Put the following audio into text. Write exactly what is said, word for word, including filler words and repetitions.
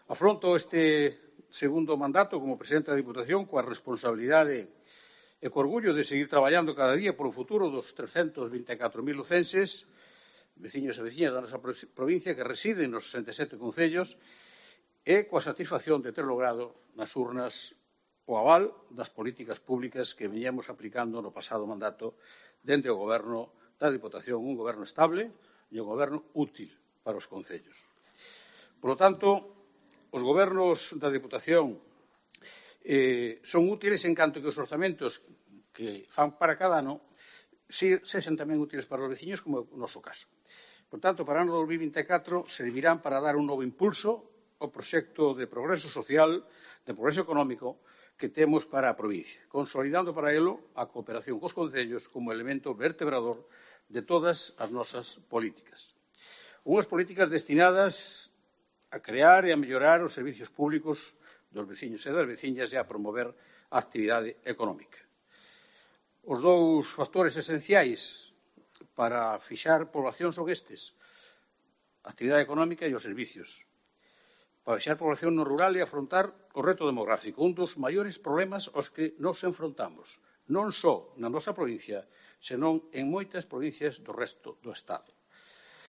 Afronto este segundo mandato como presidente da Diputación coa responsabilidade e co orgullo de seguir traballando cada día polo futuro dos trescentos vinte e catro mil lucenses, veciños e veciñas da nosa provincia que residen nos sesenta e sete concellos e coa satisfacción de ter logrado nas urnas o aval das políticas públicas que veñamos aplicando no pasado mandato dende o Goberno da Diputación, un goberno estable e un goberno útil para os concellos. Por lo tanto, os gobernos da Diputación eh, son útiles en canto que os orzamentos que fan para cada ano sexan tamén útiles para os veciños, como é o noso caso. Por tanto, para o ano dos mil vinte e catro servirán para dar un novo impulso ao proxecto de progreso social, de progreso económico que temos para a provincia, consolidando para elo a cooperación cos concellos como elemento vertebrador de todas as nosas políticas. Unhas políticas destinadas a crear e a mellorar os servicios públicos dos veciños e das veciñas e a promover a actividade económica. Os dous factores esenciais para fixar población son estes, a actividade económica e os servicios. Para fixar población no rural e afrontar o reto demográfico, un dos maiores problemas aos que nos enfrontamos, non só na nosa provincia, senón en moitas provincias do resto do Estado.